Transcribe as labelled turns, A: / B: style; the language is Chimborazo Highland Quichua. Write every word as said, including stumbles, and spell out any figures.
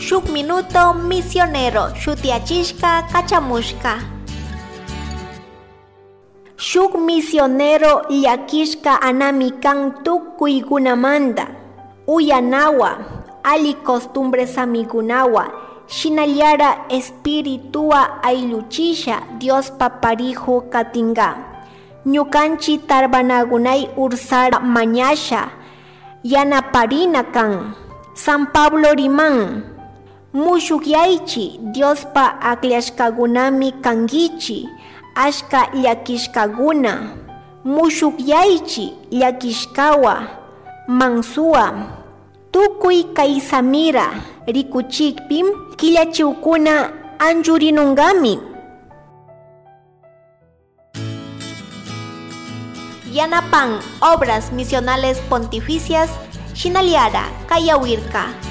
A: Shuk Minuto Misionero shutiachishka kachamushka. Shuk misionero llakishka anami kan tukuykunamanta, uyanawa, alli costumbres amigunawa, shinallara espiritua aylluchisha Diospa pariju katinga. Ñukanchi tarbanagunay ursara mañasha, yanaparina kan. San Pablo riman, mushukyaychi Diospa akllashkagunami kankichi, ashka llakishkaguna, mushukyaychi llakishkawa, mansuwa, tukuy kaysamira rikuchikpi killachiwkuna anchurinungami. Yanapan Obras Misionales Pontificias, Shinaliara, Kayawirka.